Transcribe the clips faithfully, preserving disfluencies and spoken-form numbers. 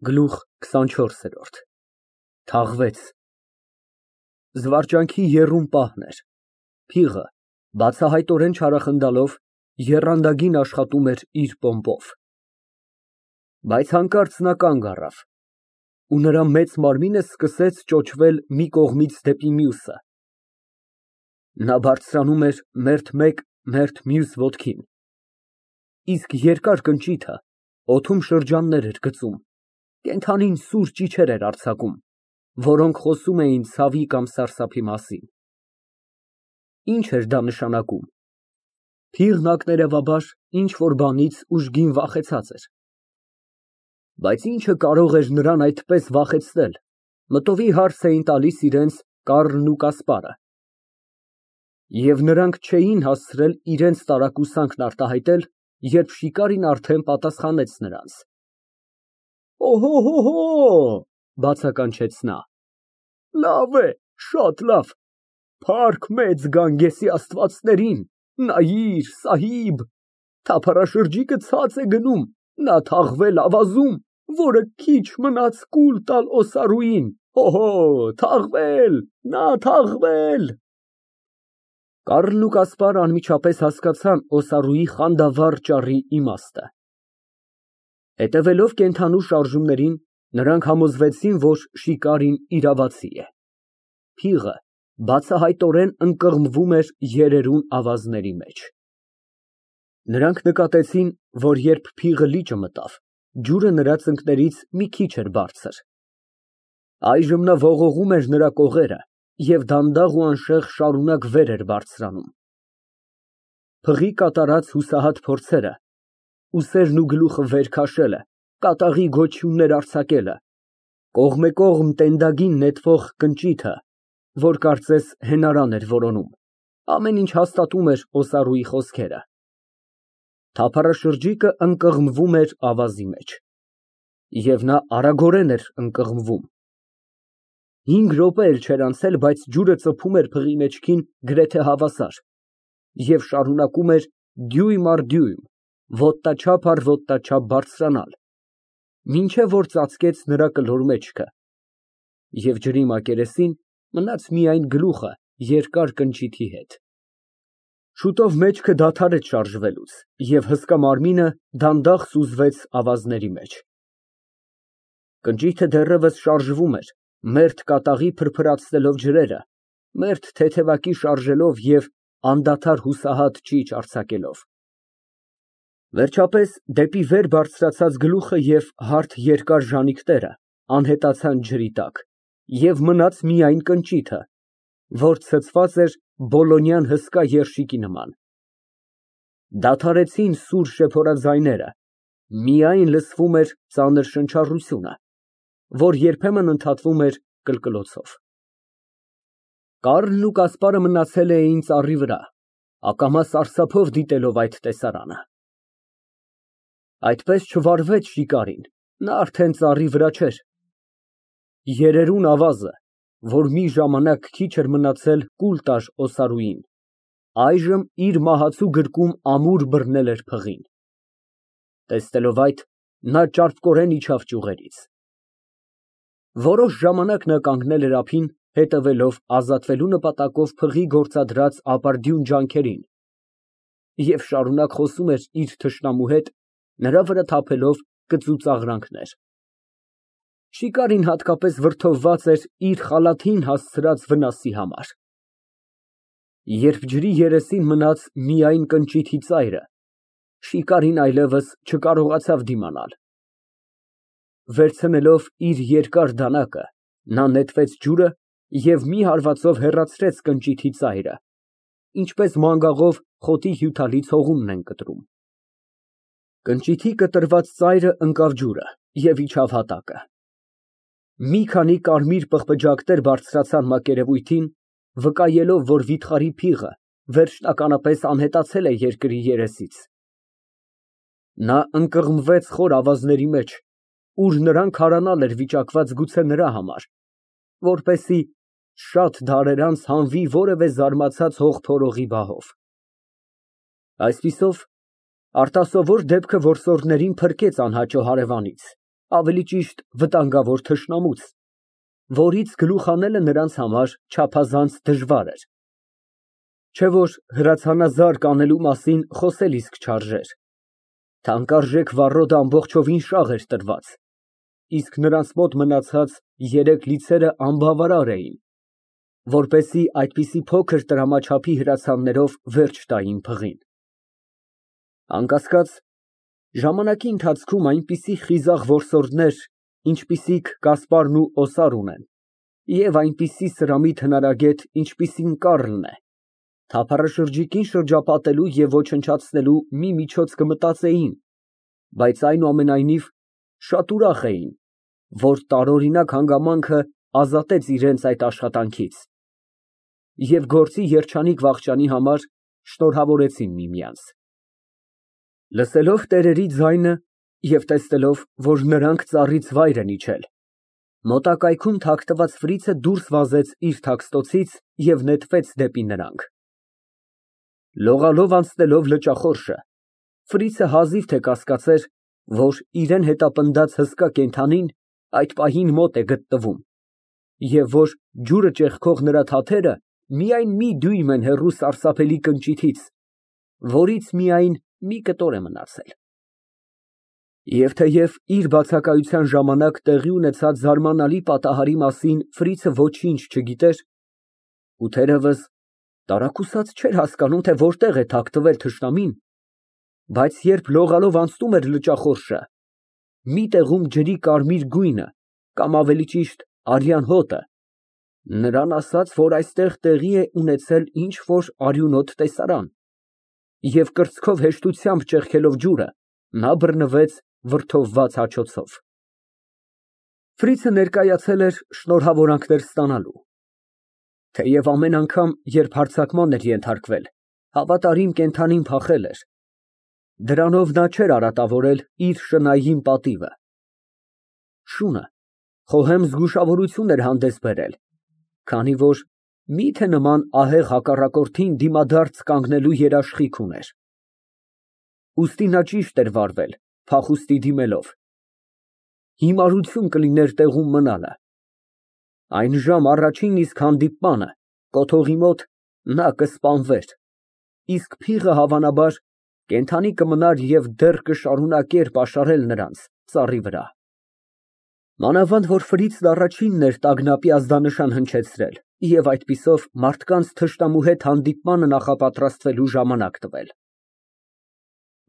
Գլուխ քսանչորս։ Թաղվեց։ Զվարճանքի եռում պահն էր, փիղը, բացահայտորեն չարախնդալով, եռանդագին աշխատում էր իր պոմպով։ Բայց հանկարծ նա կանգ առավ, ու նրա մեծ մարմինը սկսեց ճոճվել մի կողմից դեպի մյուսը. նա բարձրանում էր մերթ մեկ, մերթ մյուս ոտքին, իսկ երկար կնճիթը օդում շրջաններ էր գծում, կենդանին սուր ճիչեր էր արձակում, որոնք խոսում էին ցավի կամ սարսափի մասին։ Ինչ էր դա նշանակում։ Փիղն ակներևաբար ինչ֊որ բանից ուժգին վախեցած էր։ Բայց ինչը կարող էր նրան այդպես վախեցնել, մտովի հարց էին տալիս իրենց Կառլն ու Կասպարը։ Եվ նրանք չէին հասցրել իրենց տարակուսանքն արտահայտել, երբ շիկարին արդեն պատասխանեց նրանց։ Օհո, բացականչեց նա, լավ է, շատ լավ, փառք մեծ Գանգեսի աստվածներին, նայիր, Սահիբ, թափառաշրջիկը ցած է գնում, նա թաղվել ավազում, որը քիչ մնաց կուլ տալ Օսարուին, օհո, թաղվել, նա թաղվել։ Կառլն ու Կասպարն անմիջապես հասկացան Օսարուի խանդավառ ճառի իմաստը։ Հետևելով կենդանու շարժումներին, նրանք համոզվեցին, որ շիկարին իրավացի է։ Փիղը բացահայտորեն ընկղմվում էր երերուն ավազների մեջ։ Նրանք նկատեցին, որ երբ փիղը լիճը մտավ, ջուրը նրա ծնկներից մի քիչ էր բարձր։ Այժմ նա ողողում էր նրա կողերը և դանդաղ ու անշեղ շարունակ վեր էր բարձրանում։ Փղի կատարած հուսահատ փորձերը, ուսերն ու գլուխը վեր քաշելը, կատաղի գոչյուններ արձակելը, կողմեկողմ տենդագին նետվող կնճիթը, որ կարծես հենարան էր որոնում, ամեն ինչ հաստատում էր Օսարուի խոսքերը։ Թափառաշրջիկը ընկղմվում էր ավազի մեջ։ Եվ նա արագորեն էր ընկղմվում։ Հինգ րոպե էլ չէր անցել, բայց ջուրը ծփում էր փղի մեջքին գրեթե հավասար և շարունակում էր դյույմ առ դյույմ, ոտնաչափ առ ոտնաչափ բարձրանալ, մինչև որ ծածկեց նրա կլոր մեջքը, և ջրի մակերեսին մնաց միայն գլուխը երկար կնճիթի հետ։ Շուտով մեջքը դադարեց շարժվելուց, և հսկա մարմինը դանդաղ սուզվեց ավազների մեջ։ Կնճիթը դեռևս շարժվում էր, մերթ կատաղի փրփրացնելով ջրերը, մերթ թեթևակի շարժելով և անդադար հուսահատ ճիչ արձակելով։ Վերջապես դեպի վեր բարձրացած գլուխը և հարթ երկար ժանիքները անհետացան ջրի տակ, և մնաց միայն կնճիթը, որ ցցված էր բոլոնյան հսկա երշիկի նման։ Դադարեցին սուր շեփորաձայները, միայն լսվում էր ծանր շնչառությունը, որ երբեմն ընդհատվում էր կլկլոցով։ Կառլն ու Կասպարը մնացել էին ծառի վրա, ակամա սարսափով դիտելով այդ տեսարանը։ Այդպես չվարվեց շիկարին, նա արդեն ծառի վրա չէր։ Երերուն ավազը, որ մի ժամանակ քիչ էր մնացել կուլ տար Օսարուին, այժմ իր մահացու գրկում ամուր բռնել էր փղին։ Տեսնելով այդ, նա ճարպկորեն իջավ ճյուղերից։ Որոշ ժամանակ նա կանգնել էր ափին, հետևելով ազատվելու նպատակով փղի գործադրած ապարդյուն ջանքերին, և շարունակ խոսում էր իր թշնամու հետ, նրա վրա թափելով կծուծաղրանքներ։ Շիկարին հատկապես վրդովված էր իր խալաթին հասցրած վնասի համար։ Երբ ջրի երեսին մնաց միայն կնճիթի ծայրը, շիկարին այլևս չկարողացավ դիմանալ։ Վերցնելով իր երկար դանակը, նա նետվեց ջուրը և մի հարվածով հեռացրեց կնճիթի ծայրը, ինչպես մանգաղով խոտի հյութալից հողունն են կտրում։ Կնճիթի կտրված ծայրը ընկավ ջուրը և իջավ հատակը։ Մի քանի կարմիր պղպջակներ բարձրացան մակերևույթին, վկայելով, որ վիթխարի փիղը վերջնականապես անհետացել է երկրի երեսից։ Նա ընկղմվեց խոր ավազների մեջ, ուր նրան քարանալ էր վիճակված գուցե նրա համար, որպեսզի շատ դարեր անց հանվի որևէ զարմացած հող փորողի բահով։ Այսպիսով, արտասովոր դեպքը որսորդներին փրկեց անհաճո հարևանից, ավելի ճիշտ վտանգավոր թշնամուց, որից գլուխ հանելը նրանց համար չափազանց դժվար էր, չէ որ հրացանազարկ անելու մասին խոսել իսկ չարժեր, թանկարժեք վառոդը ամբողջովին շաղ էր տրված, իսկ նրանց մոտ մնացած երեք լիցերը անբավարար էին, որպեսզի այդպիսի փոքր տրամաչափի հրացաններով վերջ տային փղին։ Անկասկած, ժամանակի ընթացքում այնպիսի խիզախ որսորդներ, ինչպիսիք Կասպարն ու Օսարուն են, և այնպիսի սրամիտ հնարագետ, ինչպիսին Կառլն է, թափառաշրջիկին շրջապատելու և ոչնչացնելու մի միջոց կմտածեին, բայց այնուամենայնիվ շատ ուրախ էին, որ տարօրինակ հանգամանքը ազատեց իրենց այդ աշխատանքից և գործի երջանիկ վախճանի համար շնորհավորեցին միմյանց։ Լսելով տերերի ձայնը և տեսնելով, որ նրանք ծառից վայր են իջել, մոտակայքում թաքնված Ֆրիցը դուրս վազեց իր թաքստոցից և նետվեց դեպի նրանք։ Լողալով անցնելով լճախորշը, Ֆրիցը հազիվ թե կասկածեր, որ իրան հետապնդած հսկա կենդանին այդ պահին մոտ է գտնվում, և որ ջուրը ճեղքող նրա թաթերը միայն մի դյույմ են հեռու սարսափելի կնճիթից, որից միայն մի կտոր է մնացել։ Եվ թեև իր բացակայության ժամանակ տեղի ունեցած զարմանալի պատահարի մասին Ֆրիցը ոչինչ չգիտեր, ու թերևս տարակուսած չէր հասկանում, թե որտեղ է թաքնվել թշնամին, բայց երբ լողալով անցնում էր լճախորշը, մի տեղում ջրի կարմիր գույնը, կամ ավելի ճիշտ արյան հոտը, նրան ասաց, որ այստեղ տեղի է ունեցել ինչ֊որ արյունոտ տեսարան, և կրծքով հեշտությամբ ճեղքելով ջուրը, նա բռնվեց վրդովված հաչոցով։ Ֆրիցը ներկայացել էր շնորհավորանքներ ստանալու, թեև ամեն անգամ, երբ հարձակման էր ենթարկվել, հավատարիմ կենդանին փախել էր, դրանով նա չէր արատավորել իր շնայուն պատիվը։ Շունը խոհեմ զգուշավորություն էր հանդես բերել, քանի որ միթե նման ահեղ հակառակորդին դիմադարձ կանգնելու երաշխիք ուներ։ Ուստի նա ճիշտ էր վարվել, փախուստի դիմելով։ Հիմարություն կլիներ տեղում մնալը։ Այն ժամ առաջին իսկ հանդիպմանը կոթողի մոտ նա կսպանվեր, իսկ փիղը, հավանաբար, կենդանի կմնար և դեռ կշարունակեր պաշարել նրանց ծառի վրա։ Մանավանդ որ Ֆրիցն առաջինն էր տագնապի ազդանշան հնչեցրել և այդպիսով մարդկանց թշնամու հետ հանդիպմանը նախապատրաստվելու ժամանակ տվել։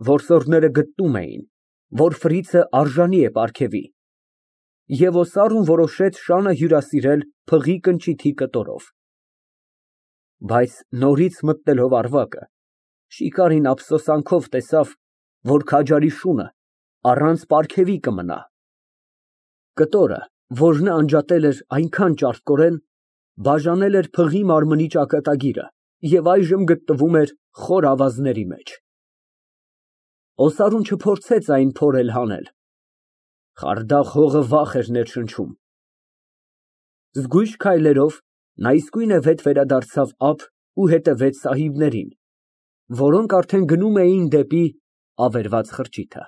Որսորդները գտնում էին, որ Ֆրիցը արժանի է պարգևի, և Օսարուն որոշեց շանը հյուրասիրել փղի կնճիթի կտորով։ Բայց նորից մտնելով առվակը, շիկարին ափսոսանքով տեսավ, որ քաջարի շունը առանց պարգևի կմնա։ Կտորը, որ նա անջատել էր այնքան ճարպկորեն, բաժանել էր փղի մարմնի ճակատագիրը և այժմ գտնվում էր խոր ավազների մեջ։ Օսարուն չփորձեց այն փորել հանել։ Խարդախ հողը վախ էր ներշնչում։ Զգույշ քայլերով նա իսկույնև հետ վերադարձավ ափ ու հետևեց սահիբներին, որոնք արդեն գնում էին դեպի ավերված խրճիթը։